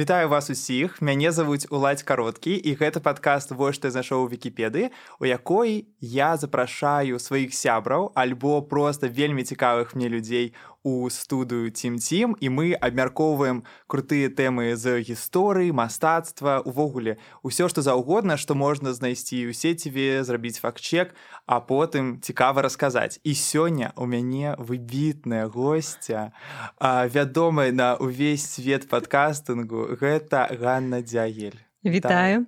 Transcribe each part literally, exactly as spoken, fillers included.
Вітаю вас усіх. Мяне завуць Уладзь Кароткі, і гэта падкаст «Вось што я знайшоў у Вікіпедыі», у якой я запрашаю сваіх сябраў альбо проста вельмі цікавых мне людзей у студыю Тим-Тим, і мы абмяркоўваем крутыя тэмы з гісторыі, мастацтва, увогуле усё, што заўгодна, што можна знайсці ў сеціве, зрабіць факт-чек, а потым цікава расказаць. І сёння у мяне выбітная госця, вядомая на увесь свет падкастынгу, гэта Ганна Дзягель. Вітаю.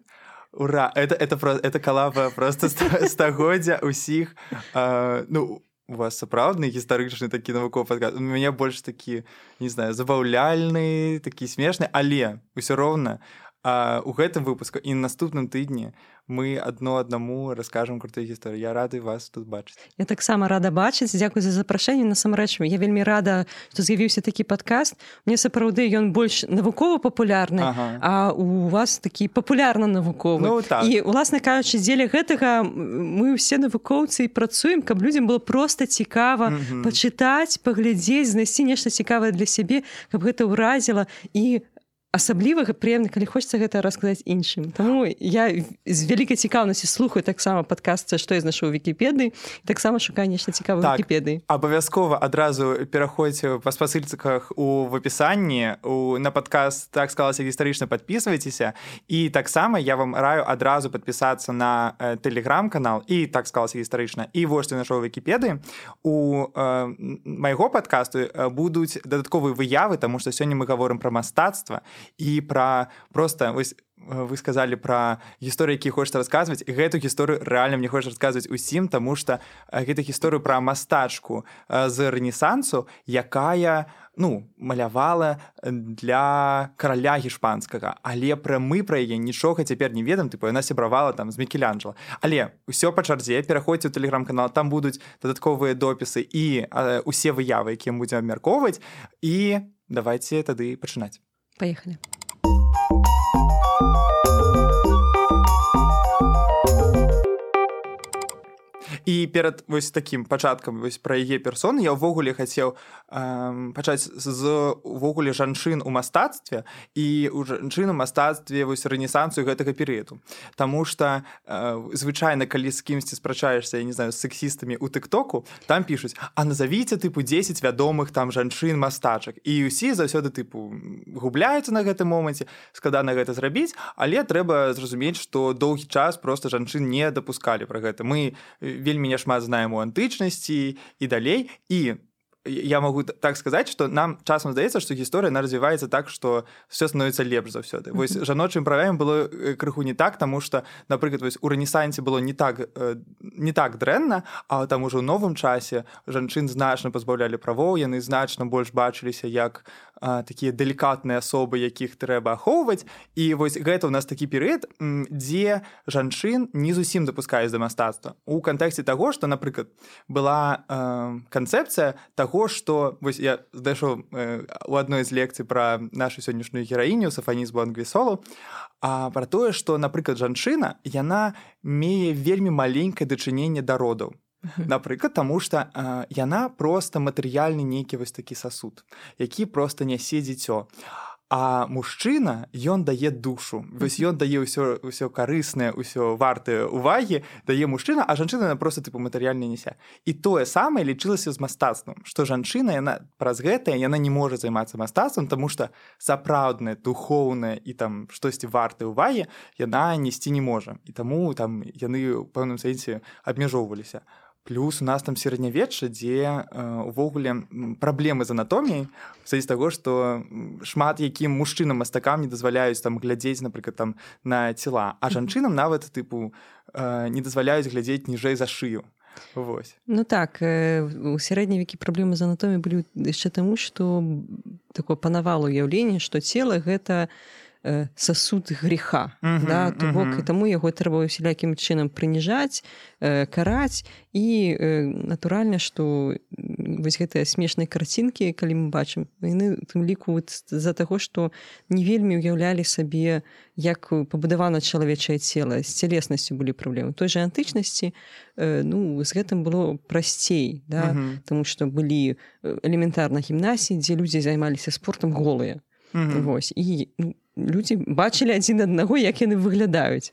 Ура! Это, это, это калаба просто стагоддзя усіх. А, ну, у вас сапраўдны гістарычны такі навуковы падкаст. У мяне больш такі, не знаю, забаўляльны, такі смешны, але ўсё роўна а, у гэтым выпуску і на наступным тыдні мы адно аднаму раскажам крутыя гісторыі. Я рады вас тут бачыць. Я таксама рада бачыць. Дзякуй за запрашэнне. Насамрэч, я вельмі рада, што з'явіўся такі падкаст. Мне сапраўды ён больш навукова-папулярны, ага. А у вас такі папулярна-навуковы. Ну, так. І, уласна кажучы, дзеля гэтага мы ўсе навукоўцы і працуем, каб людзям было проста цікава mm-hmm. пачытаць, паглядзець, знайсці нешта цікавае для сябе, каб гэта ўразіла і асаблівага прыемна, калі хочацца гэта расказаць іншым. Таму я з вялікай цікаўнасці слухаю таксама падкаст «Што я знайшоў у Вікіпедыі», і таксама шукаю нешта цікавае так, у Вікіпедыі. Абавязкова адразу пераходзьце па спасылках у в апісанні, у, на падкаст «Так склалася гістарычна», падпісвайцеся, і таксама я вам раю адразу падпісацца на э, тэлеграм-канал і «Так склалася гістарычна», і «Вось што я знайшоў у Вікіпедыі». У э, майго падкасту э, будуць дадатковыя выявы, таму што сёння мы гаворым пра мастацтва, і пра проста вось вы сказалі пра гісторыі, якія хочаце расказваць. Гэту гісторыю рэальна мне хочацца расказваць усім, таму што гэта гісторыю пра мастачку з рэнесансу, якая ну, малявала для караля гішпанскага. Але пра мы пра яе нічога цяпер не ведаем, тыпу яна сябравала там з Мікеланджела. Але ўсё па чарзе, пераходзьце ў тэлеграм-канал, там будуць дадатковыя допісы і э, усе выявы, якія мы будзем абмяркоўваць. І давайце тады пачынаць. Поехали. І перад вось такім пачаткам вось пра яе персону я ўвогуле хацеў э, пачаць з увогуле жанчын у мастацтве і у жанчын у мастацтве вось рэнесансу гэтага перыяду. Таму што э, звычайна, калі з кімсьці спрачаешся, я не знаю, з сексістамі ў тык-току, там пішуць: а назавіце тыпу дзесяць вядомых там жанчын мастачак. І ўсе заўсёды тыпу губляюцца на гэтым моманце, складана гэта зрабіць, але трэба зразумець, што доўгі час проста жанчын не дапускалі пра гэта. Мы вельмі няшмат знаем у антычнасці і далей, і я могу так сказаць, што нам часам здаецца, што гісторыя она развіваецца так, што все становіцца лепш заўсёды. Вось жаночым правам было крыху не так, таму што, напрыклад, вось у рэнесансе было не так, не так дрэнна, а там ужо ў новым часе жанчын значна пазбаўлялі правоў, яны значна больш бачыліся як а, такія далікатныя асобы, якіх трэба ахоўваць. І вось гэта ў нас такі перыяд, дзе жанчын не зусім дапускаюць да мастацтва. У кантэксце таго, што, напрыклад, была э, канцэпцыя таго, што вось я знайшоў э, у адной з лекцый пра нашу сённяшнюю гераіню Сафаніз Буангвісолу, а пра тое, што, напрыклад, жанчына, яна мее вельмі маленькае дачыненне да родаў. Напрыклад, таму што э, яна проста матэрыяльны нейкі вось такі сасуд, які проста нясе дзіцё. А мужчына, ён дае душу. Вось ён дае ўсё, ўсё карыснае, ўсё вартае увагі, дае мужчына, а жанчына проста тыпу матэрыяльна нясе. І тое самае лічылася з мастацтвам, што жанчына, яна праз гэтае, яна не можа займацца мастацтвам, таму што сапраўднае, духоўнае і там штосьці вартае увагі яна несці не можа. І таму там яны ў пэўным сэнсе абмяжоўваліся. Плюс у нас там сярэднявечча, дзе увогуле э, праблемы з анатоміяй, в сэнсе таго, што шмат якім мужчынам-мастакам не дазваляюць там глядзець, напрыклад, там на цела, а жанчынам нават тыпу э, не дазваляюць глядзець ніжэй за шыю. Вось. Ну так, э, у сярэднія векі праблемы з анатоміяй былі яшчэ таму, што такое панавала ўяўленне, што цела гэта сасуд греха, uh-huh, да, то бок uh-huh. і таму яго трэба усялякім чынам прыніжаць, э, караць, і э, натуральна, што вось гэтыя смешныя карцінкі, калі мы бачым, яны тым ліку з-за таго, што не вельмі ўяўлялі сабе, як пабудавана чалавечае цела, з цялеснасцю былі праблемы. У той жа антычнасці э, ну, з гэтым было прасцей, да, uh-huh. таму што былі элементарна гімнасіі, дзе людзі займаліся спортам голыя. Uh-huh. Вось. І ну, людзі бачылі адзін аднаго, як яны выглядаюць.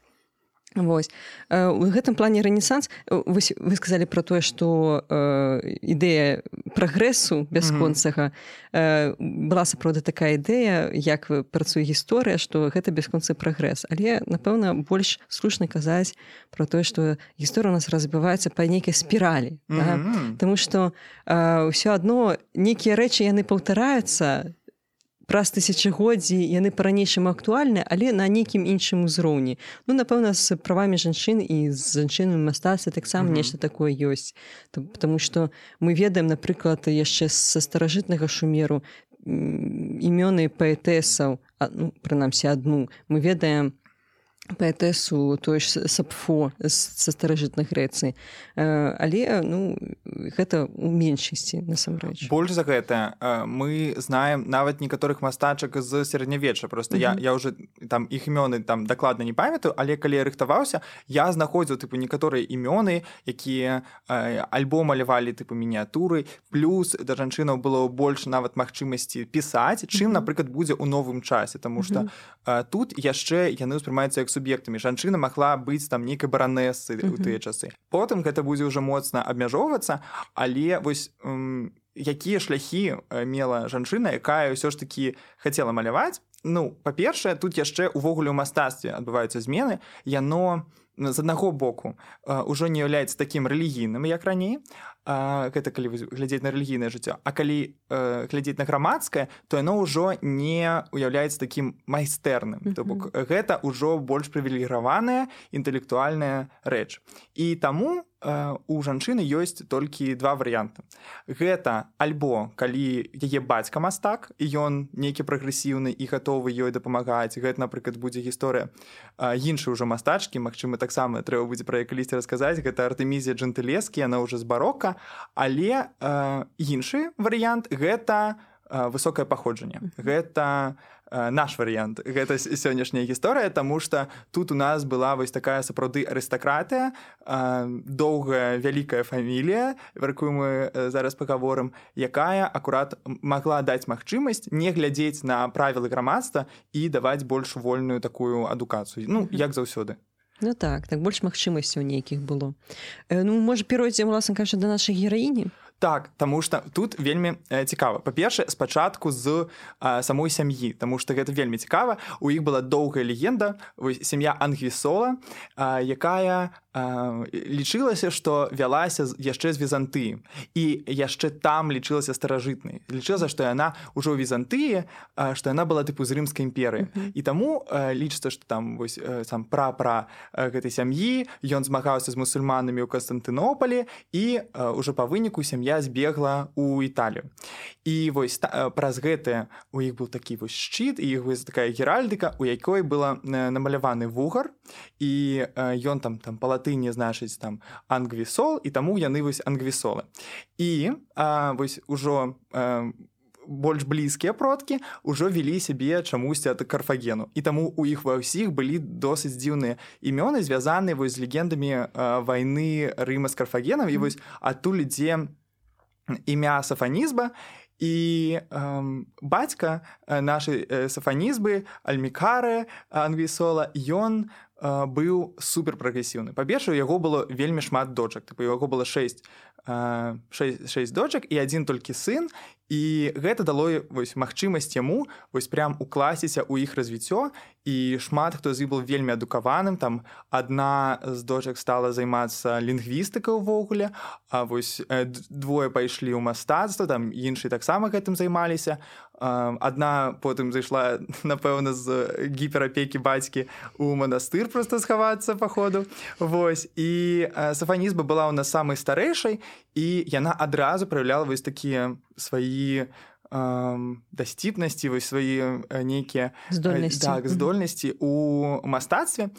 Вось. У гэтым плане рэнесанс, вось вы сказалі пра тое, што э, ідэя прагрэсу бясконцага э, была сапраўды такая ідэя, як працуе гісторыя, што гэта бясконцы прагрэс. Але, напэўна, больш слушна казаць пра тое, што гісторыя у нас разбіваецца па нейкай спіралі. Mm-hmm. Да? Таму што э, ўсё адно нейкія рэчы яны паўтараюцца, праз тысячагоддзі яны па-ранейшаму актуальныя, але на нейкім іншым узроўні. Ну, напэўна, з правамі жанчын і з жанчынамі мастацтва таксама mm-hmm. нешта такое ёсць. Таму што мы ведаем, напрыклад, яшчэ са старажытнага Шумеру імёны паэтэсаў, ну, прынамсі адну, мы ведаем паэтэсу той ж Сапфо са старажытнай Грэцыі. Але, ну, гэта ў меншасці, насамрэч. Больш за гэта мы знаем нават некаторых мастачак з сярэднявечча. Просто mm-hmm. я, я уже там іх імёны там дакладна не памятаю, але калі я рыхтаваўся, я знаходзіў тыпу некаторыя імёны, якія альбо малявалі тыпу мініятуры, плюс да жанчынаў было больш нават магчымасці пісаць, чым, mm-hmm. напрыклад, будзе ў новым часе, таму што mm-hmm. тут яшчэ яны ўспрымаюцца як суб'ектамі. Жанчына магла быць там нейкай баранэсай ў uh-huh. тыя часы. Потым гэта будзе ўжо моцна абмяжоўвацца, але вось м, якія шляхі мела жанчына, якая ўсё ж такі хацела маляваць? Ну, па-першае, тут яшчэ увогуле ў мастацтве адбываюцца змены. Яно з аднаго боку ўжо не з'яўляецца такім рэлігійным, як раней. Гэта калі глядзець на рэлігійнае жыццё. А калі э, глядзець на грамадскае, то яно ўжо не уяўляецца такім майстэрным. Mm-hmm. То бок гэта ўжо больш прывілегіраваная інтэлектуальная рэч. І таму э, у жанчыны ёсць толькі два варыянты. Гэта альбо калі яе бацька мастак, і ён нейкі прагрэсіўны і гатовы ёй дапамагаць. Гэта, напрыклад, будзе гісторыя э, іншай ужо мастачкі, магчыма, таксама трэба будзе пра яе калісьці расказаць. Гэта Артэмізія Джентылескі, яна ўжо з барока. Але э, іншы варыянт гэта э, высокае паходжанне. Гэта э, наш варыянт. Гэта сённяшняя гісторыя, таму што тут у нас была вось такая сапраўды арыстакратыя, э, доўгая вялікая фамілія, пра якую мы э, зараз пагаворым, якая акурат магла даць магчымасць не глядзець на правілы грамадства і даваць больш вольную такую адукацыю. Ну, як заўсёды. Ну так, так больш магчымасцяў нейкіх было. Э, ну, можа, перайдзем, уласна кажучы, да нашай гераіні? Так, таму што тут вельмі э, цікава. Па-першае, спачатку з э, самой сям'і, таму што гэта вельмі цікава. У іх была доўгая легенда, вось, сям'я Ангвісола, э, якая э, лічылася, што вялася яшчэ з Візантыі. І яшчэ там лічылася старажытнай. Лічылася, што яна ўжо ў Візантыі, э, што яна была тыпу з Рымскай імперыі. Mm-hmm. І таму э, лічыцца, што там вось, э, сам пра-пра э, гэтай сям'і, ён змагаўся з мусульманамі ў Канстантынополі, і э, ўжо па выніку сям'я збегла ў Італію. І вось та, праз гэтае у іх быў такі вось шчыт, і іх вось такая геральдыка, у якой была намаляваны вугар, і ён там, там па латыні значыць там Ангвісол, і таму яны вось Ангвісолы. І а, вось ужо а, больш блізкія продкі ўжо вялі сябе чамусьці ад Карфагену. І таму у іх ва ўсіх былі досыць дзіўныя імёны, звязаныя вось з легендамі а, вайны Рыма з Карфагенам, і вось адтуль ідзе імя Сафанізба, і эм, бацька нашай э, Сафанізбы, Альмікары Ангвісола, ён э, быў суперпрагрэсіўны. Па-першае, у яго было вельмі шмат дочак. Тыпу, у яго было шэсць, э, шэсць, шэсць дочак і адзін толькі сын, і гэта дало вось, магчымасць яму вось, прям укласціся ў іх развіццё, і шмат хто з іх быў вельмі адукаваным. Там адна з дочак стала займацца лінгвістыкай увогуле, а вось двое пайшлі ў мастацтва, там іншыя таксама гэтым займаліся. Адна потым зайшла, напэўна, з гіперапекі бацькі ў манастыр проста схавацца па ходу. Вось. І Сафанізба была ў нас самай старэйшай, і яна адразу праяўляла вось такія свае дасціпнасці, вось свае нейкія здольнасці, так, здольнасці ў мастацтве.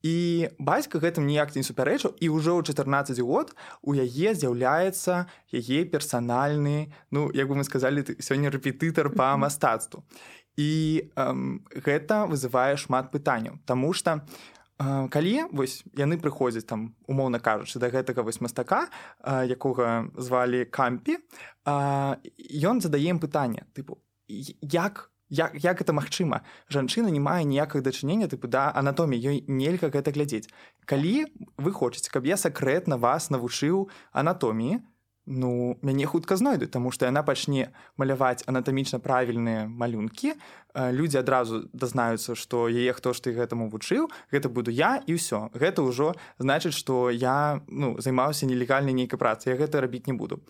І бацька гэтым ніяк не супярэчыў, і ўжо ў чатырнаццаць год у яе з'яўляецца яе персанальны, ну, як бы мы сказалі, сёння рэпетытар па мастацтву. І эм, гэта вызывае шмат пытанняў, таму што э, калі вось, яны прыходзяць, там, умоўна кажучы, да гэтага вось мастака, э, якога звалі Кампі, э, ён задае ім пытанне, тыпу, як як, як гэта магчыма? Жанчына не мае ніякага дачынення тыпу да анатоміі, ёй нельга гэта глядзець. Калі вы хочаце, каб я сакрэтна вас навучыў анатоміі, ну, мяне хутка знойдуць, таму што яна пачне маляваць анатамічна правільныя малюнкі, людзі адразу дазнаюцца, што яе хто ж ты гэтаму вучыў, гэта буду я і ўсё. Гэта ўжо значыць, што я ну, займаўся нелегальнай нейкай працай, я гэта рабіць не буду.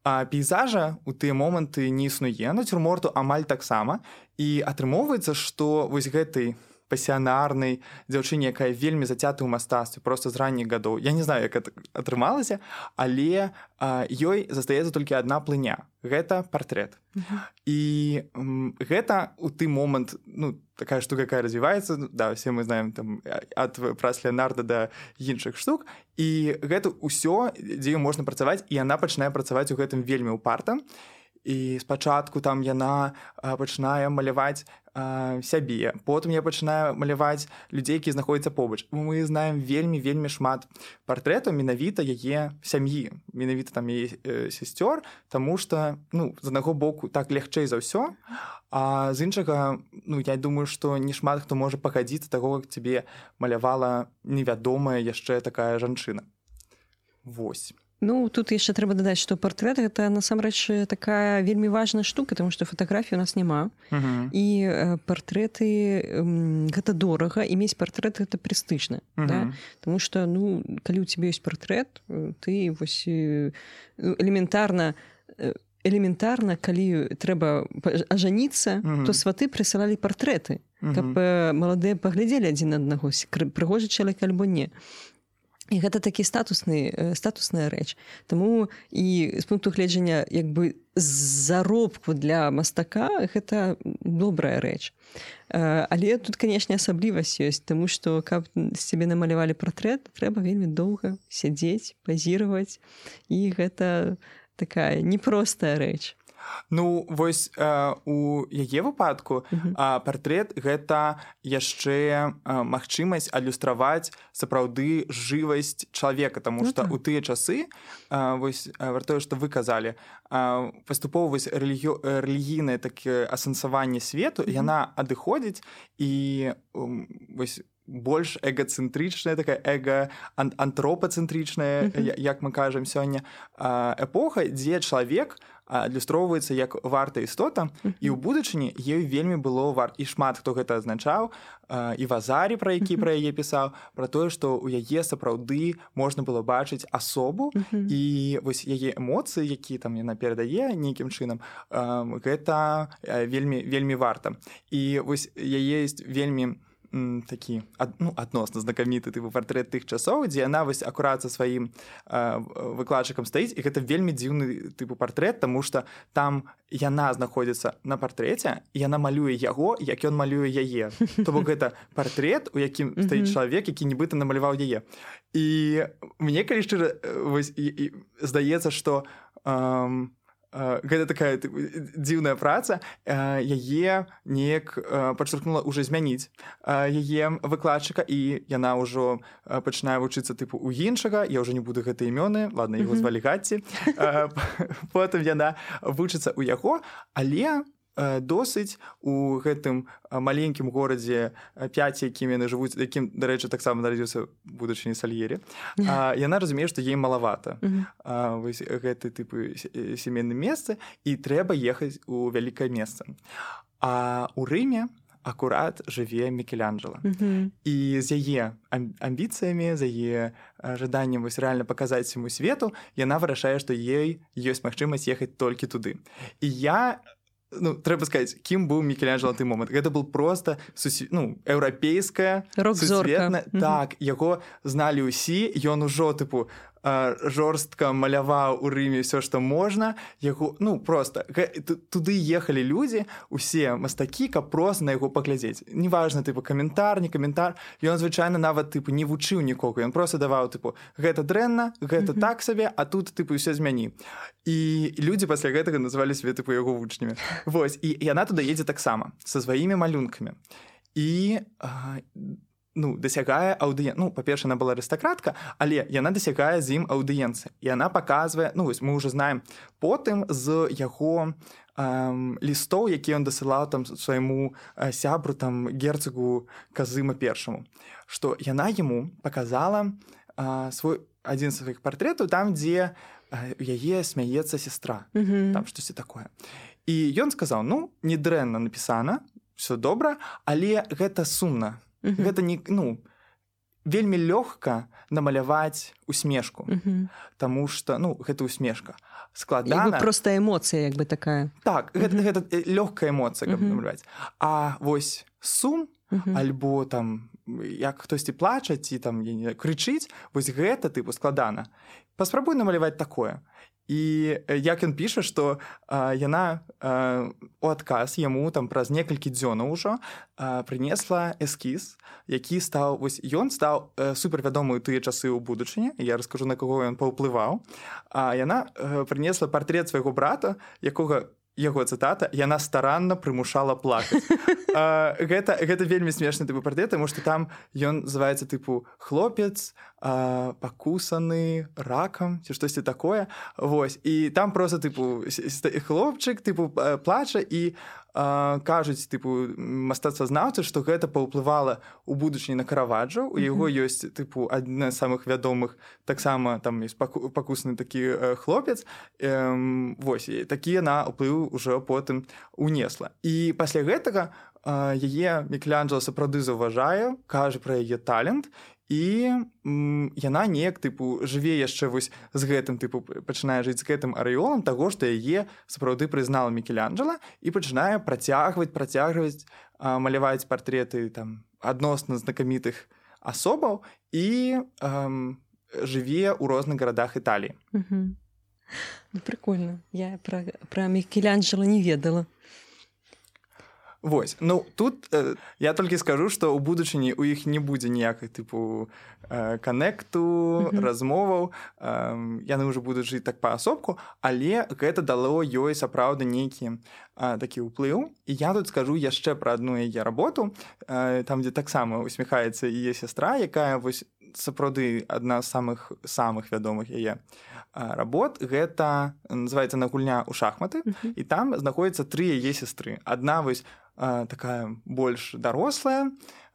А пейзажа ў тыя моманты не існуе, нацюрморту амаль таксама, і атрымоўваецца, што вось гэтай пасіянарнай дзяўчыне, якая вельмі зацята ў мастацтве проста з ранніх гадоў. Я не знаю, як это атрымалася, але а, ёй застаецца толькі адна плыня. Гэта партрэт. Uh-huh. І м, гэта ў той момант, ну, такая штука, якая развіваецца, да, все мы знаем там ад праз Леонарда да іншых штук, і гэта ўсё, дзе можна працаваць, і яна пачынае працаваць у гэтым вельмі ўпарта. І спачатку там яна а, пачынае маляваць а, сябе, потым я пачынаю маляваць людзей, які знаходзяцца побач. Мы знаем вельмі-вельмі шмат партрэтаў менавіта яе сям'і, менавіта там яе э, сясцёр, таму што ну, з аднаго боку так лягчэй за ўсё, а з іншага, ну, я думаю, што не шмат хто можа пагадзіцца таго, як цябе малявала невядомая яшчэ такая жанчына. Вось. Ну, тут яшчэ трэба дадаць, што партрэт гэта насамрэч такая вельмі важная штука, таму што фатаграфій у нас няма. Uh-huh. І э, партрэты э, гэта дорага, і мець партрэт гэта прэстыжна. Uh-huh. Да? Таму што ну, калі ў цябе ёсць партрэт, ты вось элементарна элементарна, калі трэба ажаніцца, uh-huh. то сваты прысылалі партрэты, uh-huh. каб э, маладыя паглядзелі адзін аднаго, прыгожы чалавек альбо не. І гэта такі статусны, статусная рэч. Таму і з пункту гледжання як бы заробку для мастака гэта добрая рэч. Але тут, канешне, асаблівасць ёсць, таму што каб з цябе намалявалі партрэт, трэба вельмі доўга сядзець, пазіраваць, і гэта такая непростая рэч. Ну, вось э, у яе выпадку uh-huh. э, партрэт гэта яшчэ э, магчымасць адлюстраваць сапраўды жывасць чалавека, таму што uh-huh. у тыя часы, э, вось вартое, што вы казалі, э, паступова вось рэлігio, рэлігійнае такое асэнсаванне свету, uh-huh. яна адыходзіць і э, вось больш эгацэнтрычная, такая эга-антропацэнтрычная, uh-huh. як мы кажам сёння, эпоха, дзе чалавек адлюстроўваецца як варта істота, uh-huh. і ў будучыні ёй вельмі было варта. І шмат хто гэта азначаў, і Вазарі, пра які uh-huh. пра яе пісаў, пра тое, што ў яе сапраўды можна было бачыць асобу, uh-huh. і вось яе эмоцыі, які там яна перадае нейкім чынам, гэта вельмі, вельмі варта. І вось яе ёсць вельмі такі ад, ну, адносна знакаміты тыпу партрэт тых часоў, дзе яна вось акурат са сваім э, выкладчыкам стаіць, і гэта вельмі дзіўны тыпу партрэт, таму што там яна знаходзіцца на партрэце, і яна малюе яго, як ён малюе яе. То бок гэта партрэт, у якім стаіць чалавек, які нібыта намаляваў яе. І мне, калі шчыра, вось, і, і, здаецца, што эм, гэта такая дзіўная праца, яе неяк падчаркнула ўжо змяніць яе выкладчыка, і яна ўжо пачынае вучыцца тыпу у іншага, я ўжо не буду гэты імёны, ладно, яго звалі Гатці. Потым яна вучыцца ў яго, але досыць у гэтым маленькім горадзе пяць, якім яны жывуць, якім, дарэчы, таксама нарадзіўся будучыні Сальері, яна разумее, што ей малавата вось гэты тыпы сямейным месцы, і трэба ехаць у вялікае месца. А ў Рыме акурат жыве Мікеланджела. Uh-huh. І з яе амбіцыямі, з яе жаданнем вось рэальна паказаць всяму свету, яна вырашае, што ёй ёсць магчымасць ехаць толькі туды. І я ну, трэба сказаць, кім быў Мікеланджела на той момант. Гэта был проста сусве... ну, еўрапейская, сусветная. Так, яго зналі ўсі, ён ужо, тыпу, жорстка маляваў у Рыме ўсё, што можна. Яго, ну, проста, туды ехалі людзі, усе мастакі, каб проста на яго паглядзець. Неважна, тыпу, каментар, не каментар. Ён, звычайна, нават, тыпу, не вучыў нікога. Ён проста даваў, тыпу, гэта дрэнна, гэта mm-hmm. так сабе, а тут, тыпу, ўсё змяні. І людзі пасля гэтага называлі сябе, тыпу, яго вучнямі. Вось, і яна туды едзе таксама, са сваімі малюнкамі. І, а, ну, дасягае аўдыен... Ну, па-перша, яна была арыстакратка, але яна дасягае з ім аўдыенцыі. І яна паказвае, ну, вось, мы ўжо знаем потым з яго эм, лістоў, які ён дасылаў там свайму э, сябру там герцагу Казыма першаму, што яна яму паказала э, свой адзін з сваіх партрэтаў там, дзе э, яе смяецца сестра, Мгм. там штосьці такое. І ён сказаў: ну, недрэнна напісана, все добра, але гэта сумна. Мгм. Гэта не, ну, вельмі лёгка намаляваць усмешку, Мгм. таму што, ну, гэта усмешка. Як Складана. бы проста эмоцыя, як бы такая. Так, гэта, гэта э, лёгкая эмоцыя, каб Мгм. намаляваць. А вось сум Мгм. альбо там як хтосьці плача ці там я не знаю, крычыць, вось гэта тыпу складана. Паспрабуй намаляваць такое. І э, як ён піша, што а, яна а, у адказ яму там праз некалькі дзёнаў ужо а, прынесла эскіз, які стаў, вось ён стаў э, супервядомы ў тыя часы ў будучыні. Я раскажу, на каго ён паўплываў. А яна э, прынесла партрэт свайго брата, якога яго цытата: яна старанна прымушала плакаць. А, гэта, гэта вельмі смешны тыпу партрэт, таму што там ён называецца тыпу хлопец а, пакусаны ракам ці штосьці такое. Вось. І там проста тыпу хлопчык тыпу плача і а, кажуць тыпу мастацтвазнаўцы, што гэта паўплывала ў будучыні на Караваджо. У яго ёсць тыпу адна з самых вядомых, таксама там ёсць паку, пакусаны такі э, хлопец. Эм, вось, і такі яна ўплыў ужо потым унесла. І пасля гэтага э, яе Мікеланджела сапраўды заўважае, кажа пра яе талент, і м, яна неяк тыпу жыве яшчэ вось з гэтым тыпу пачынае жыць з гэтым арэолам таго, што яе сапраўды прызнала Мікеланджела і пачынае працягваць працягваць а, маляваць партрэты там адносна знакамітых асобаў і ам, жыве ў розных гарадах Італіі. Мгм. Ну, прикольно. Я пра, пра Мікеланджела не ведала. Вось, ну тут э, я толькі скажу, што ў будучыні ў іх не будзе ніякай тыпу э, канекту, Мгм. размоваў, э, яны ўжо будуць жыць так паасобку, але гэта дало ёй сапраўды нейкі э, такі ўплыў. І я тут скажу яшчэ пра адну яе работу, э, там, дзе таксама усміхаецца яе сястра, якая вось сапраўды адна з самых самых вядомых яе э, работ. Гэта называецца «На гульня ў шахматы», Мгм. і там знаходзяцца тры яе сястры. Адна вось а, такая больш дарослая,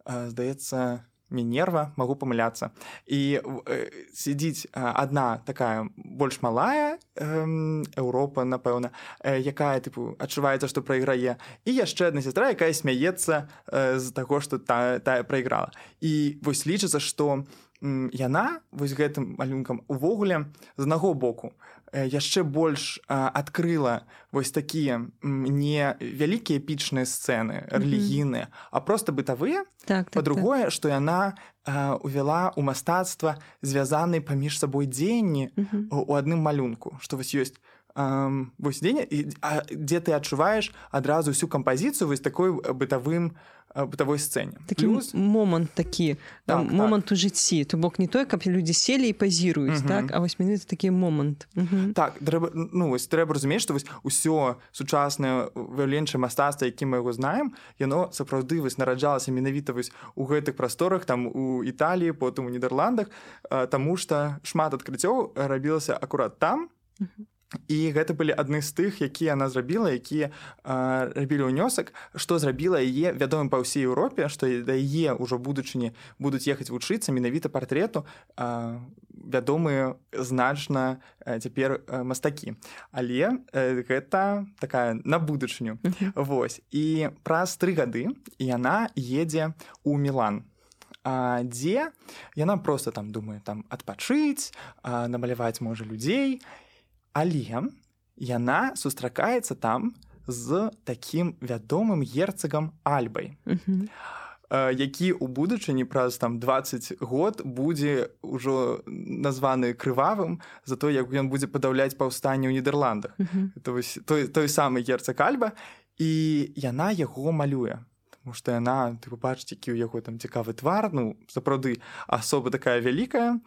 а, здаецца, Мінерва, магу памыляцца. І э, сидзіць а, адна такая больш малая, э, Еўропа, напэўна, э, якая тыпу адчуваецца, што прайграе, і яшчэ адна сястра, якая смяецца э, з таго, што та, тая прайграла. І вось лічыцца, што м, яна вось гэтым малюнкам увогуле з аднаго боку яшчэ больш а, адкрыла вось такія не вялікія эпічныя сцэны рэлігійныя, а проста бытавыя. Так, так, Па-другое, што яна а, увяла ў мастацтва звязаныя паміж сабой дзеянні Мгм. у адным малюнку, што вось ёсць а, вось дзеянне, а, дзе ты адчуваеш адразу всю кампазіцыю вось такой бытавым бытавой сцэне. Такі Плюс... момант такі, Так, момант так. у жыцці. То бок не той, каб людзі селі і пазіруюць, Мгм. так? А вось менавіта такі момант. Мгм. Так, трэба, ну, вось, трэба разумець, што вось усё сучаснае выяўленчае мастацтва, якім мы яго знаем, яно сапраўды вось нараджалася менавіта вось у гэтых прасторах, там у Італіі, потым у Нідерландах, а, таму што шмат адкрыццёў рабілася акурат там. Мгм. І гэта былі адны з тых, якія яна зрабіла, якія а, рабілі ўнёсак, што зрабіла яе вядомым па ўсей Еўропе, што да яе ўжо будучыні будуць ехаць вучыцца менавіта партрэту а, вядомыя значна а, цяпер а, мастакі. Але а, гэта такая на будучыню. Мгм. Вось. І праз тры гады яна едзе ў Мілан. А, дзе яна проста там думае там адпачыць, а, намаляваць можа людзей. Але яна сустракаецца там з такім вядомым герцагам Альбай, Мгм. які ў будучыні праз там дваццаць год будзе ўжо названы крывавым за то, як ён будзе падаўляць паўстанне ў Нідерландах. Мгм. Это вось той, той самы герцаг Альба, і яна яго малюе. Таму што яна, ты побачыць, які ў яго там цікавы твар, ну, сапраўды асоба такая вялікая.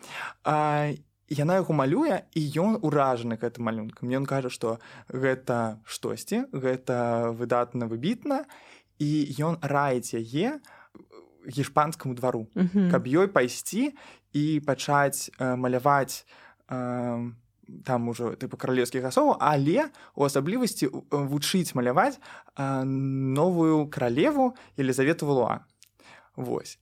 А, яна яго малюе, і ён уражаны гэтым малюнкам. Ён кажа, што гэта штосьці, гэта выдатна, выбітна, і ён раіць яе гішпанскаму двару, Мгм. каб ёй пайсці і пачаць э, маляваць э, там ужо тыпу каралеўскіх асобаў, але у асаблівасці вучыць маляваць новую каралеву Елізавету Валуа. Вось.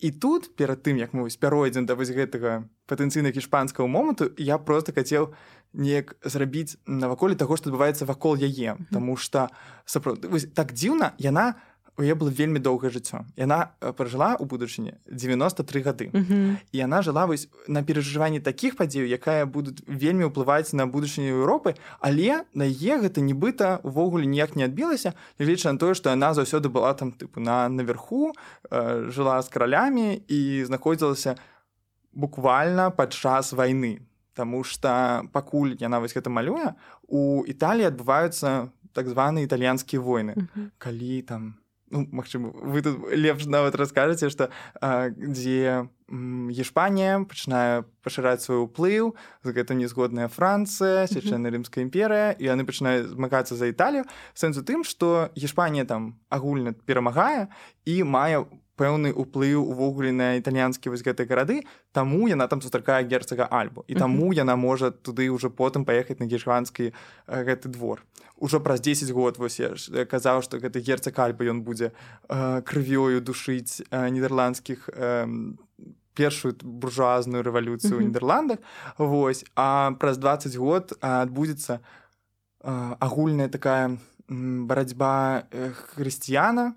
І тут, перад тым, як мы пяройдзем да вось гэтага патэнцыйна іспанскага моманту, я проста хацеў неяк зрабіць наваколе таго, што адбываецца вакол яе. Mm-hmm. Таму што сапраўды так дзіўна, яна у яе было вельмі доўгае жыццё. Яна пражыла ў будучыні дзевяноста тры гады. Mm-hmm. І яна жыла вось на перажыванні такіх падзеяў, якая будуць вельмі ўплываць на будучыню Еўропы, але на яе гэта нібыта ўвогуле ніяк не адбілася, нягледзячы на тое, што яна заўсёды была там тыпу на наверху, э, жыла з каралямі і знаходзілася буквально падчас вайны. Таму што пакуль яна вось гэта малюе, у Італіі адбываюцца так званыя італьянскія войны. Mm-hmm. Калі там ну, магчыма, вы тут лепш нават раскажаце, што а, дзе м, Іспанія пачынае пашыраць свой уплыў, з гэтым незгодная Францыя, Свяшчэнная Рымская імперыя, і яны пачынаюць змагацца за Італію. Сэнс у тым, што Іспанія там агульна перамагае і мае пэўны ўплыў увогуле на італьянскія вось гэтыя гарады, таму яна там сустракае герцага Альбу. І таму uh-huh. яна можа туды ўжо потым паехаць на гешванскі гэты двор. Ужо праз дзесяць год вось я казаў, што гэты герцаг Альба ён будзе э, крывёю душыць э, нідерландскіх э, першую буржуазную рэвалюцыю uh-huh. ў Нідерландах. Вось. А праз дваццаць год адбудзецца э, агульная такая м, барацьба э, хрысціяна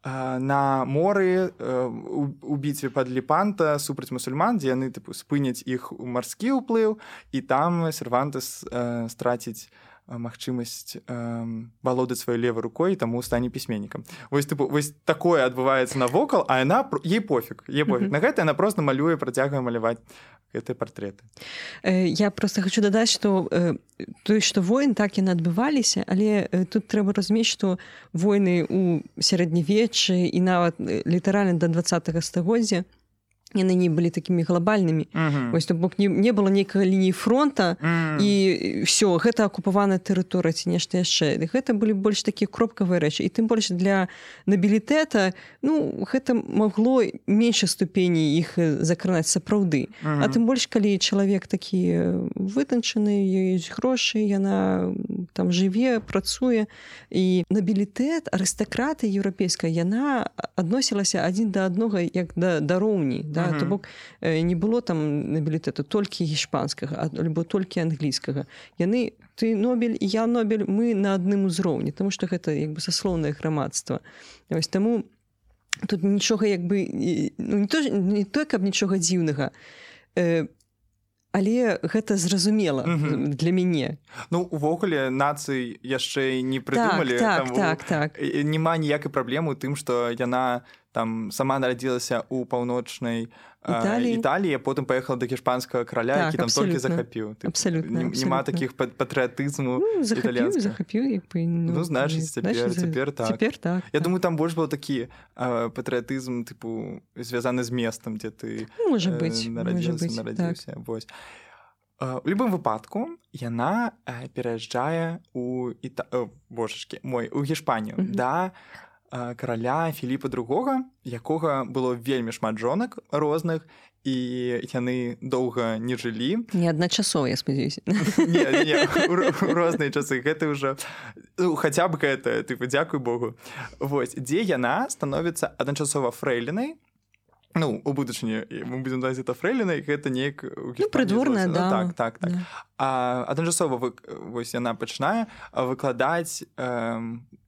на моры у бітве пад Лепанта супраць мусульман, дзе яны тыпу спыняць іх у марскі ўплыў, і там Сервантес э, страціць магчымасць э, валодаць сваёй левай рукой, таму стане пісьменнікам. Вось тыпу вось такое адбываецца навокал, а яна ей пофіг, ей пофіг. Mm-hmm. На гэта яна проста малюе, працягвае маляваць гэтыя партрэты. Я просто хочу дадаць, што тое, што войны так яны адбываліся, але тут трэба разумець, што войны ў сярэднявеччы і нават літаральна да дваццатага стагоддзя яны не былі такімі глобальнымі. Uh-huh. Вось, то бок не, не было нейкай лініі фронта, uh-huh. і ўсё, гэта акупаваная тэрыторыя ці нешта яшчэ. Гэта былі больш такія кропкавыя рэчы. І тым больш для набілітэта, ну, гэта магло меншай ступені іх закранаць сапраўды. Uh-huh. А тым больш, калі чалавек такі вытанчаны, ёсць грошы, яна там жыве, працуе. І набілітэт, арыстакраты еўрапейская, яна адносілася адзін да аднога як да, да роўні, да? Uh-huh. То бок не было там набілітэту толькі іспанскага, альбо толькі англійскага. Яны, ты Нобель і я Нобель, мы на адным узроўні, таму што гэта як бы саслоўнае грамадства. Вось таму тут нічога як бы ну, не то, не то каб нічога дзіўнага, э, але гэта зразумела uh-huh. для мяне. Ну, увогуле, нацый яшчэ не прыдумалі. Так, так, так, так. Няма ніякай праблемы ў тым, што яна там сама нарадзілася ў паўночнай Італіі, Італіі, потым паехала да іспанскага караля, так, які там толькі захапіў. Абсалютна. Няма такіх патрыятызму ну, захапіў, захапіў, як бы, ну, ну значыць, цяпер, цяпер так. Цяпер так. Я так. думаю, там больш быў такі а, патрыятызм, тыпу, звязаны з местам, дзе ты можа быць, э, нарадзіўся, нарадзіўся. Так. Вось. У любым выпадку яна э, пераязджае у Іта... О, божачкі, мой, у Гішпанію, mm-hmm. да караля Філіпа другога, якога было вельмі шмат жонак розных, і яны доўга не жылі. Не адначасова, я спадзяюся. Не, не, у, у розныя часы. Гэта ўжо, ну, хаця б гэта, тыпу, дзякуй Богу. Вось, дзе яна становіцца адначасова фрэйлінай, ну, у будучыні мы будзем даць это фрэйлінай, гэта неяк у Гішпаніі. Ну, прыдворная дама. Ну, так, так, так. Да. А адначасова вы, вось яна пачынае выкладаць э,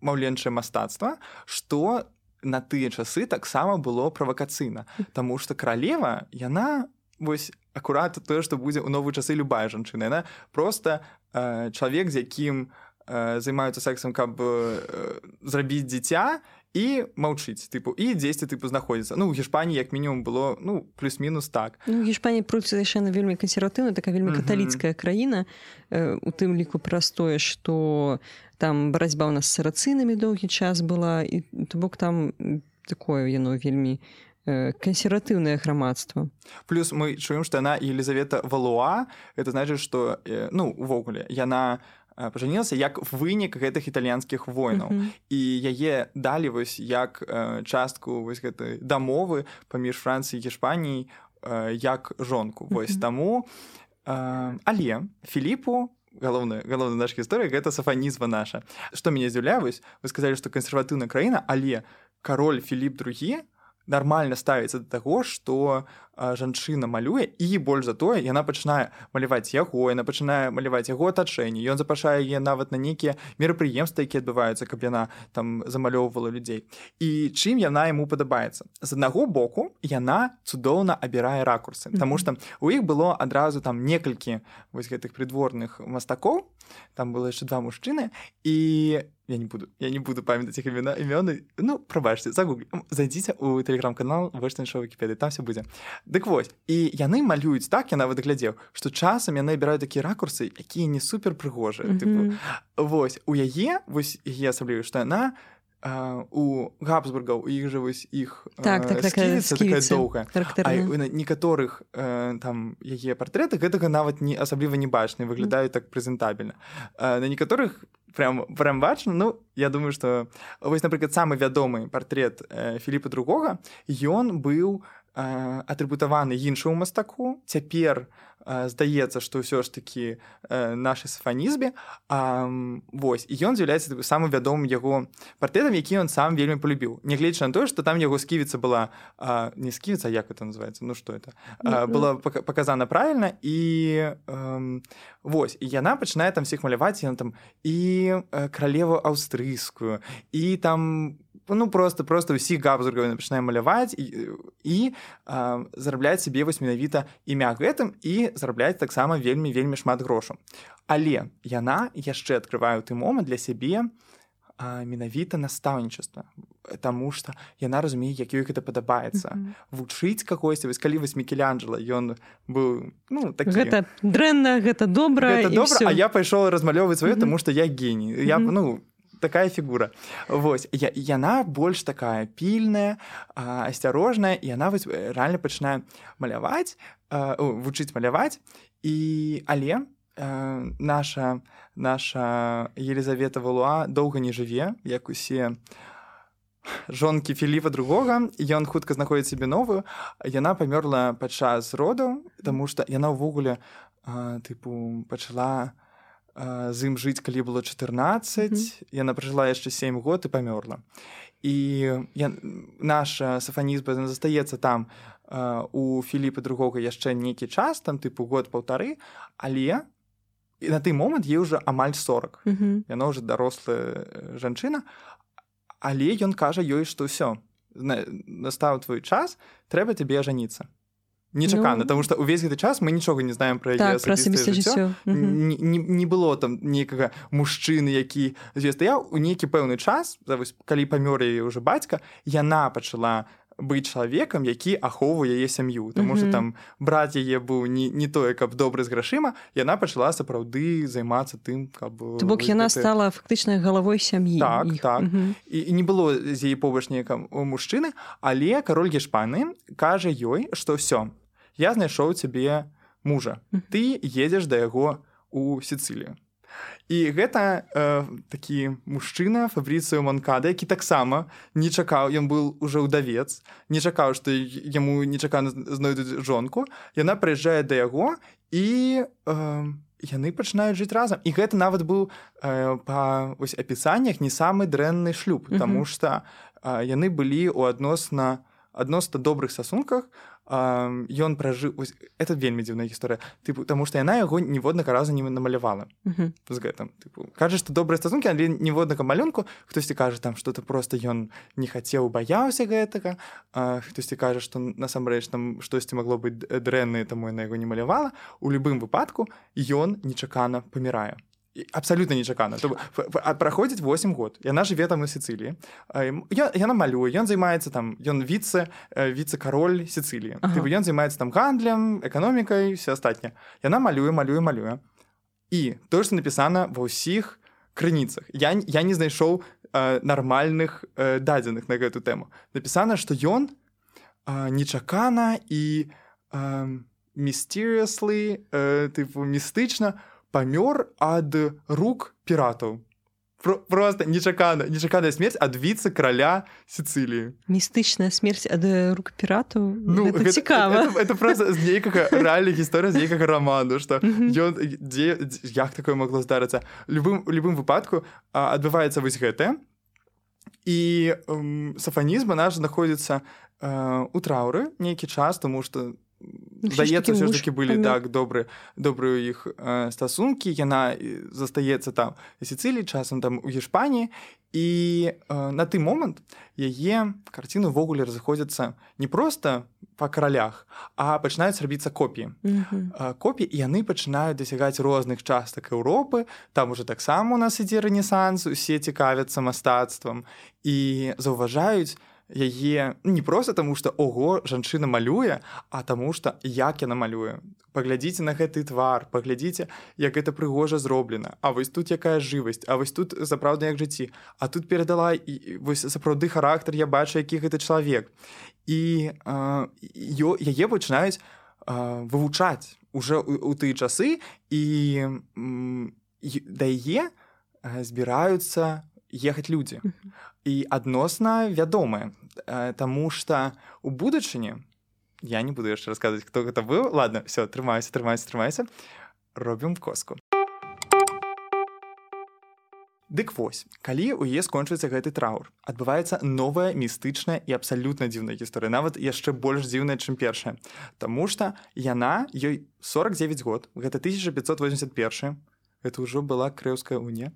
маўленчае мастацтва, што на тыя часы таксама было правакацыйна. Таму што каралева, яна вось акурат тое, што будзе ў новыя часы любая жанчына. Яна проста э, чалавек, з якім э, займаюцца сексам, каб э, зрабіць дзіця, і маўчыць, тыпу, і дзесьці тыпу знаходзіцца. Ну, у Гішпаніі як мінімум было, ну, плюс-мінус так. Ну, Гішпанія проці яшчэ вельмі кансерватыўная, такая вельмі каталіцкая mm-hmm. краіна, э, у тым ліку праз тое, што там барацьба ў нас з сарацынамі доўгі час была, і то бок там такое яно вельмі э, кансерватыўнае грамадства. Плюс мы чуем, што яна Елізавета Валуа, гэта значыць, што, э, ну, увогуле, яна пажанілася як вынік гэтых італьянскіх войнаў. Uh-huh. І яе далі вось як э, частку вось гэтай дамовы паміж Францыяй і Гішпаніяй э, як жонку. Uh-huh. Вось таму Але Філіпу галоўная галоўная наша гісторыя гэта сафанізма наша. Што мяне здзіўляе, вось вы сказалі, што кансерватыўная краіна, але кароль Філіп другі нармальна ставіцца да таго, што жанчына малюе, і больш за тое яна пачынае маляваць яго, яна пачынае маляваць яго атачэнне, ён запрашае яе нават на нейкія мерапрыемствы, якія адбываюцца, каб яна там замалёўвала людзей. І чым яна яму падабаецца? З аднаго боку яна цудоўна абірае ракурсы, таму што у іх было адразу там некалькі вось гэтых прыдворных мастакоў, там было яшчэ два мужчыны, і я не буду я не буду памятаць іх імёны, імёны, ну прабачце, загуглі, зайдзіце ў тэлеграм-канал Вочная шоу Вікіпедыі, там все будзе. Дык вось, і яны малююць так, я нават глядзеў, што часам яны абіраюць такія ракурсы, якія не супер прыгожыя. Mm-hmm. Типу, вось, у яе, вось яе асабліва, што яна а, у Габсбургаў, у іх жа вось іх так, так, сківіца такая доўгая. А на некаторых а, там яе партрэты гэтага нават не асабліва не бачна, выглядаюць так прэзентабельна. А, на некаторых прям, прям бачна, ну, я думаю, што вось, напрыклад, самы вядомы партрэт э, Філіпа другога, ён быў атрыбутаваны іншаму мастаку. Цяпер э, здаецца, што ўсё ж такі э, нашай сафанізме. А, вось, і ён з'яўляецца самым вядомым яго партрэтам, які ён сам вельмі полюбіў. Нягледзячы на тое, што там яго сківіца была а, не сківіца, як это называецца, ну што это а, была паказана правільна, і э, вось, і яна пачынае там всіх маляваць, яна там і э, каралеву аўстрыйскую, і там ну просто просто ўсіх Габсбургаў пачынае маляваць і, і а, зарабляць сабе вось менавіта імя гэтым і зарабляць таксама вельмі вельмі шмат грошаў. Але яна яшчэ адкрывае ў той момант для сябе а, менавіта настаўнічества, таму што яна разумее, як ёй гэта падабаецца. Mm-hmm. Вучыць кагосьці, вось калі вось Мікеланджела, ён быў ну такі гэта дрэнна, гэта добра, гэта і добра, всё. А я пайшоў размалёўваць сваё, mm-hmm. таму што я геній. Я Mm-hmm. ну такая фігура. Вось, я, яна больш такая пільная, а, асцярожная, і яна вось рэальна пачынае маляваць, а, о, вучыць маляваць, і але а, наша наша Елізавета Валуа доўга не жыве, як усе жонкі Філіпа другога, ён хутка знаходзіць сабе новую. Яна памёрла падчас родаў, таму што яна ўвогуле а, тыпу пачала з ім жыць, калі было чатырнаццаць, mm-hmm. яна пражыла яшчэ сем год і памёрла. І я, наша сафанізма застаецца там а, у Філіпа другога яшчэ нейкі час, там тыпу год-паўтары, але на той момант ей ўжо амаль сорак. Mm-hmm. Яна ўжо дарослая жанчына, але ён кажа ёй, што ўсё, настаў твой час, трэба табе ажаніцца. Нечакана, ну, тому што ўвесь гэты час мы нічога не знаем пра яе асабістае жыццё. Mm-hmm. Не, не, не было там нейкага мужчыны, які стаяў у нейкі пэўны час, калі памёр яе ўжо бацька, яна пачала быць чалавекам, які ахоўвае яе сям'ю. Таму што mm-hmm. там брат яе быў не, не тое, каб добры з грашыма, яна пачала сапраўды займацца тым, каб... То бок яна гэты... стала фактычна галавой сям'і. Так, іх. так. Mm-hmm. І, і не было з яе побач ніякага мужчыны, але кароль Гешпаніі кажа ёй, што ўсё, я знайшоў цябе мужа. Ты едзеш да яго ў Сіцылію. І гэта э, такі мужчына Фабрыцыо Монкада, які таксама не чакаў, ён быў ужо ўдавец, не чакаў, што яму нечакана знойдуць жонку. Яна прыязджае да яго, і э, яны пачынаюць жыць разам. І гэта нават быў э, па ось, апісаннях не самы дрэнны шлюб, mm-hmm. таму што э, яны былі ў адносна адносна добрых стасунках. Ён пражыў... Это вельмі дзіўная гісторыя. Тыпу, таму што яна яго ніводнага разу не намалявала. Uh-huh. З гэтым. Тыпу, кажа, што добрыя стасункі, але ніводнага малюнку. Хтосьці кажа, там, што-то проста ён не хацеў, баяўся гэтага. А, хтосьці кажа, што насамрэч там штосьці магло быць дрэннае, таму яна яго не малявала. У любым выпадку ён нечакана памірае. Абсалютна нечакана. Праходзіць восем год. Яна жыве там на Сіцыліі. Яна малюе, ён займаецца там, ён віце, віце-кароль Сіцыліі. Ага. Ён займаецца там гандлем, эканомікай, все астатняе. Яна малюе, малюе, малюе. І тое, што напісана ва ўсіх крыніцах. Я, я не знайшоў э, нармальных э, дадзеных на гэту тэму. Напісана, што ён э, нечакана і э, mysteriously, э, тыпу, містычна памёр ад рук піратаў. Про, просто нечаканая, нечаканая смерць ад віцэ-краля Сіцыліі. Містычная смерць ад рук піратаў. Ну, гэта, гэта цікава. Это, это просто з нейкага рэальная гісторыя з нейкага раману, што ён, дзе, як такое магло здарыцца. Любым, любым выпадку а, адбываецца вось гэтае. І м, Сафанізм наш знаходзіцца а, у траўры нейкі час, тому што здаецца, ўсё ж такі былі так добры, добрыя ў іх э, стасункі. Яна застаецца там у Сіцыліі, часам там у Гішпаніі. І э, на той момант яе карціны ўвогуле разыходзяцца не проста па каралях, а пачынаюць рабіцца копіі. Mm-hmm. Э, копіі, і яны пачынаюць дасягаць розных частак Еўропы. Там уже таксама у нас ідзе рэнесанс, усе цікавяцца мастацтвам і заўважаюць яе не проста таму, што ого, жанчына малюе, а таму што як яна малюе. Паглядзіце на гэты твар, паглядзіце, як гэта прыгожа зроблена. А вось тут якая жывасць, а вось тут сапраўдна як жыцці. А тут перадала і вось сапраўды характар, я бачу, які гэта чалавек. І э, яе пачынаюць э, вывучаць уже ў, ў тыя часы, і э, да яе э, збіраюцца ехаць людзі. І адносна вядомыя, таму што у будучыні, я не буду яшчэ расказваць, хто гэта быў. Ладно, все, трымайся, трымайся, трымайся. Робім коску. Дык вось, калі ў яе скончыцца гэты траур, адбываецца новая містычная і абсалютна дзіўная гісторыя, нават яшчэ больш дзіўная, чым першая. Таму што яна, ёй сорок девять год, гэта тысяча пятьсот восемьдесят один. Это ўжо была Крэўская унія.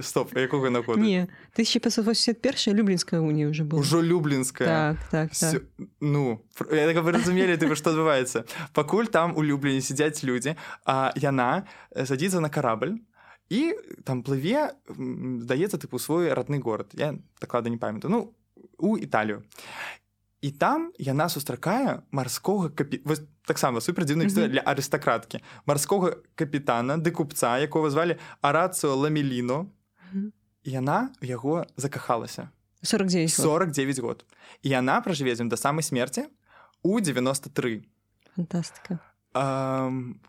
Стоп, якога на году? Не, тысяча пятьсот восемьдесят один Люблінская унія ўжо была. Ужо Люблінская. Так, так, так. Ну, я так вы разумелі, тыпу, што адбываецца. Пакуль там у Любліні сядзяць людзі, а яна садзіцца на карабль і там плыве, здаецца, тыпу, свой родны горад. Я дакладна не памятаю. Ну, у Італію. І там яна сустракае марскога капітана, таксама супердзіўная гісторыя mm-hmm. для арыстакраткі, марскога капітана ды купца, якога звалі Арацыо Ламеліно. Mm-hmm. І яна ў яго закахалася. сорок девять год. сорок девять год. І яна пражыве з ім да самай смерці у девяносто три. Фантастыка. Um,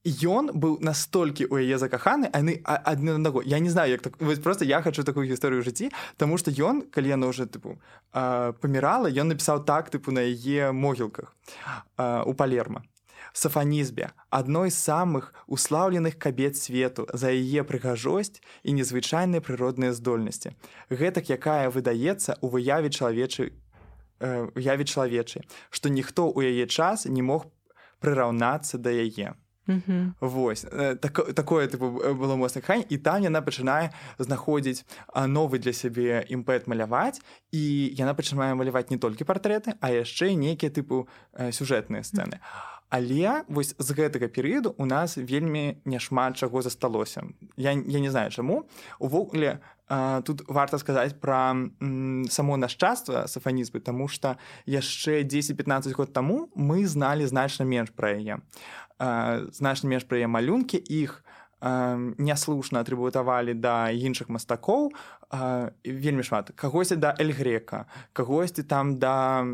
ён быў настолькі ў яе закаханы, а яны адны на аднаго. Я не знаю, як так. Вось просто я хачу такую гісторыю ў жыцці, таму што ён, калі яна ўжо тыпу памірала, ён напісаў так тыпу на яе могілках у Палерма. Сафанізбе, адной з самых услаўленых кабет свету за яе прыгажосць і незвычайныя прыродныя здольнасці. Гэтак, якая выдаецца ў выяве чалавечай, выяве чалавечай, што ніхто ў яе час не мог прыраўнацца да яе. Mm-hmm. Вось, так, такое тыпу, было моцнае каханне, і там яна пачынае знаходзіць новы для сябе імпэт маляваць, і яна пачынае маляваць не толькі партрэты, а яшчэ нейкія тыпу сюжэтныя сцэны. Mm-hmm. Але вось з гэтага перыяду у нас вельмі няшмат чаго засталося. Я, я не знаю чаму. Увогуле, тут варта сказаць пра м, само нашчадства сафанізму, таму што яшчэ дзесяць-пятнаццаць год таму мы зналі значна менш пра яе. Значна менш пра яе малюнкі, іх няслушна атрыбутавалі да іншых мастакоў, вельмі шмат. Кагосьці да Эль Грека, кагосьці там да,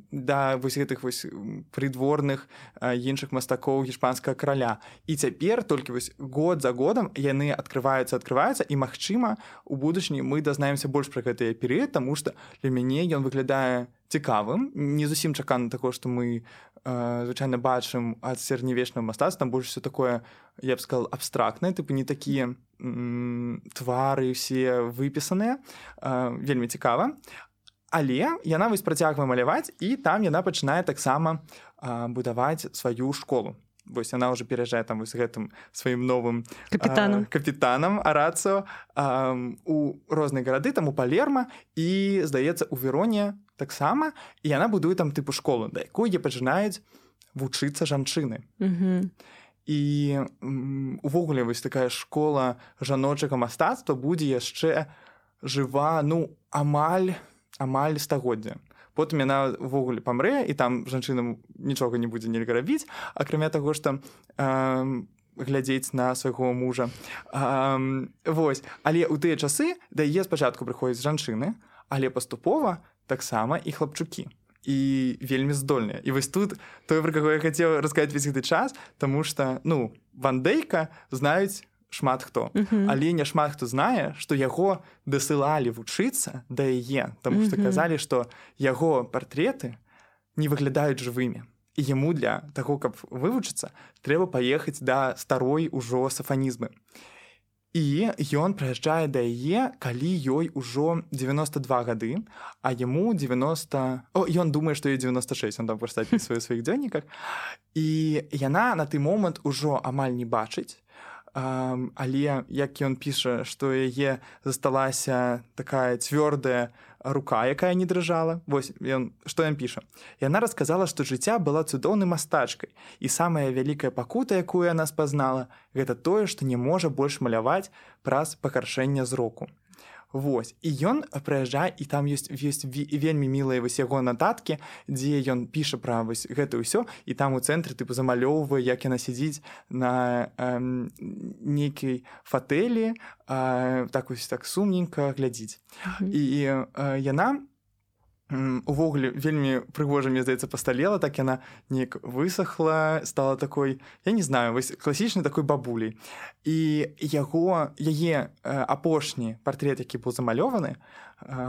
да вось гэтых вось прыдворных іншых мастакоў гішпанскага караля. І цяпер толькі вось год за годам яны адкрываюцца, адкрываюцца, і, магчыма, у будучыні мы дазнаемся больш пра гэты перыяд, таму што для мяне ён выглядае цікавым, не зусім чакана таго, што мы э, звычайна бачым ад сярэднявечнага мастацтва, там больш усё такое, я б сказал, абстрактнае, тыпу не такія м, твары ўсе выпісаныя, э, вельмі цікава. Але яна вось працягвае маляваць, і там яна пачынае таксама э, будаваць сваю школу. Вось яна ўжо пераязджае там вось гэтым сваім новым капітанам, э, капітанам Арацыо э, у розныя гарады, там у Палерма, і, здаецца, у Вероне таксама, і яна будуе там тыпу школу, да якой яе пачынаюць вучыцца жанчыны. Mm-hmm. І увогуле вось такая школа жаночага мастацтва будзе яшчэ жыва, ну, амаль, амаль стагоддзя. Потым яна ўвогуле памрэ, і там жанчынам нічога не будзе нельга рабіць, акрамя таго, што э, глядзець на свайго мужа. Э, вось. Але ў тыя часы да яе спачатку прыходзяць жанчыны, але паступова таксама і хлапчукі. І вельмі здольныя. І вось тут тое, пра каго я хацеў расказаць весь гэты час, таму што, ну, Ван Дейка знаюць шмат хто. Uh-huh. Але не шмат хто знае, што яго дасылалі вучыцца да яе, таму што uh-huh. казалі, што яго партрэты не выглядаюць жывымі. І яму для таго, каб вывучыцца, трэба паехаць да старой ужо сафанізмы. І ён прыязджае да яе, калі ёй ужо дзевяноста два гады, а яму дзевяноста... О, ён думае, што ёй дзевяноста шэсць, он там проста апісвае ў сваіх дзённіках. І яна на той момант ужо амаль не бачыць, Um, але як ён піша, што яе засталася такая цвёрдая рука, якая не дрыжала. Вось ён, што ён піша. Яна расказала, што жыцця была цудоўнай мастачкай, і самая вялікая пакута, якую яна спазнала, гэта тое, што не можа больш маляваць праз пагаршэнне зроку. Вось. І ён прыязджае, і там ёсць, ёсць вельмі мілыя вось яго нататкі, дзе ён піша пра вось гэта ўсё, і там у цэнтры тыпу замалёўвае, як яна сядзіць на эм, нейкай фатэлі, э, так вось так сумненька глядзіць. Mm-hmm. І э, яна увогуле вельмі прыгожа, мне здаецца, пасталела, так яна неяк высохла, стала такой, я не знаю, вось класічнай такой бабуляй. І яго, яе апошні партрэт, які быў замалёваны,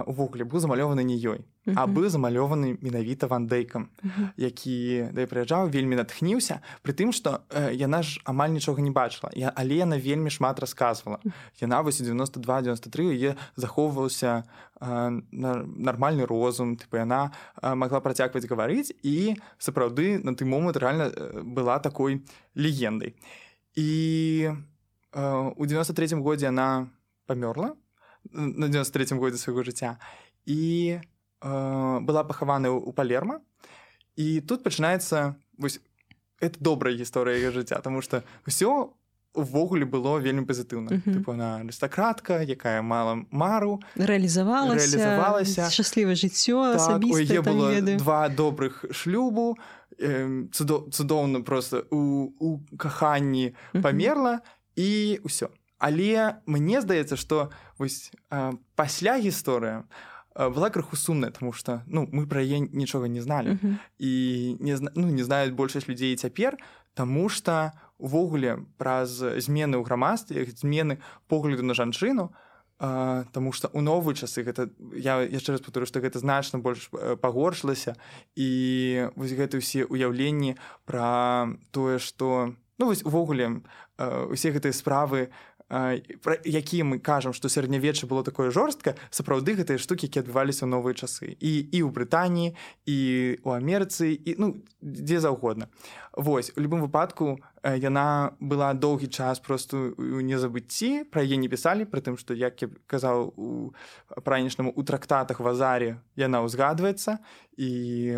увогуле быў замалёваны не ёй, uh-huh. а быў замалёваны менавіта Ван Дейкам, uh-huh. які да прыязджаў, вельмі натхніўся, пры тым, што яна ж амаль нічога не бачыла, але яна вельмі шмат расказвала. Яна вось у дзевяноста два дзевяноста тры яе захоўваўся нармальны розум, тыпу яна магла працягваць гаварыць, і сапраўды на той момант рэальна была такой легендай. І у дзевяноста трэцім годзе яна памёрла, на дзевяноста трэцім годзе свайго жыцця, і э, была пахавана ў Палерма. І тут пачынаецца вось это добрая гісторыя яе жыцця, таму што ўсё увогуле было вельмі пазітыўна. Uh-huh. Тыпу она арыстакратка, якая мала мару, рэалізавалася, рэалізавалася. Шчаслівае жыццё так, асабістае, там было ведаю. Два добрых шлюбу, э, цудо, цудоўна проста у, у каханні uh-huh. памерла, і ўсё. Але мне здаецца, што вось э, пасля гісторыя э, была крыху сумная, таму што ну, мы пра яе нічога не зналі. Uh-huh. І не, ну, не знаюць большасць людзей цяпер, таму што увогуле праз змены ў грамадстве, змены погляду на жанчыну, э, таму што ў новыя часы гэта, я яшчэ раз паўторю, што гэта значна больш пагоршылася, і вось гэта ўсе ўяўленні пра тое, што ну вось увогуле э, усе гэтыя справы, пра якія мы кажам, што сярэднявечча было такое жорстка, сапраўды гэтыя штукі, які адбываліся ў новыя часы. І, і ў Брытаніі, і ў Амерыцы, і ну, дзе заўгодна. Вось, у любым выпадку яна была доўгі час проста ў незабыцці, пра яе не пісалі, пры тым, што, як я казаў у пранішнаму, у трактатах Вазарі яна ўзгадваецца, і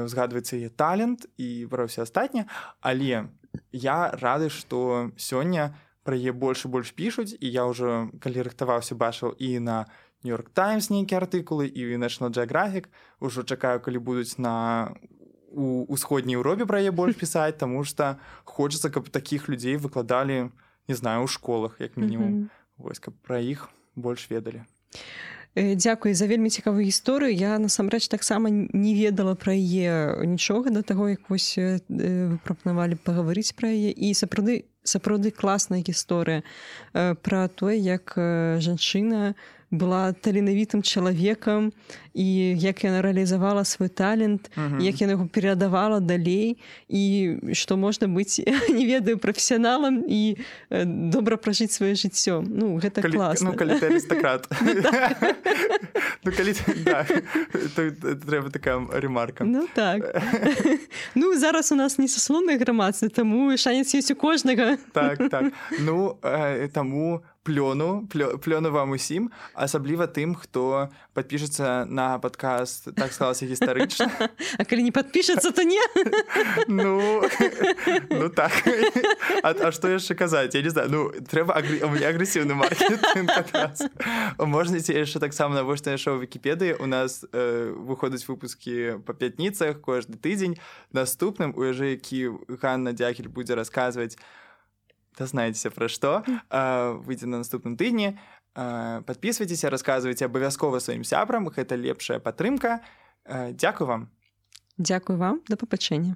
ўзгадваецца яе талент, і пра ўсё астатняе, але я рады, што сёння пра яе больш і больш пішуць, і я ўжо, калі рыхтаваўся, бачыў і на Нью-Йорк Таймс нейкія артыкулы, і ў National Geographic, ужо чакаю, калі будуць на у ўсходняй Еўропе пра яе больш пісаць, таму што хочацца, каб такіх людзей выкладалі, не знаю, у школах, як мінімум, mm-hmm. вось, каб пра іх больш ведалі. Дзякуй за вельмі цікавую гісторыю. Я насамрэч таксама не ведала пра яе нічога да таго, як вось вы прапанавалі пагаварыць пра яе, і сапраўды сапраўды класная гісторыя пра тое, як жанчына была таленавітым чалавекам, і як яна рэалізавала свой талент, uh-huh. як яна яго перадавала далей, і што можна быць, не ведаю, прафесіяналам і добра пражыць сваё жыццё. Ну, гэта калі, класна. Ну, калі ты арыстакрат. Ну, калі да, то трэба такая ремарка. Ну, так. Ну, зараз у нас не саслоўнае грамадства, таму шанец ёсць у кожнага. Так, так. Ну, таму плёну, плёну вам усім, асабліва тым, хто падпішацца на падкаст «Так склалася гістарычна». А калі не падпішацца, то не? Ну, ну так. А, а што яшчэ казаць? Я не знаю. Ну, трэба агр... у меня агрэсіўны маркетинг. Можнаце яшчэ таксама навочнае шоу ў Вікіпедыі. У нас э, выходзяць выпускі па пятніцах кожны тыдзень. Наступным, у яжы, які Ганна Дягіль будзе расказваць, дазнаецеся пра што, выйдзе на наступным тыдні. Падпісвайцеся, расказвайце абавязкова сваім сябрам, гэта лепшая падтрымка. Дзякуй вам. Дзякуй вам, да пабачэння.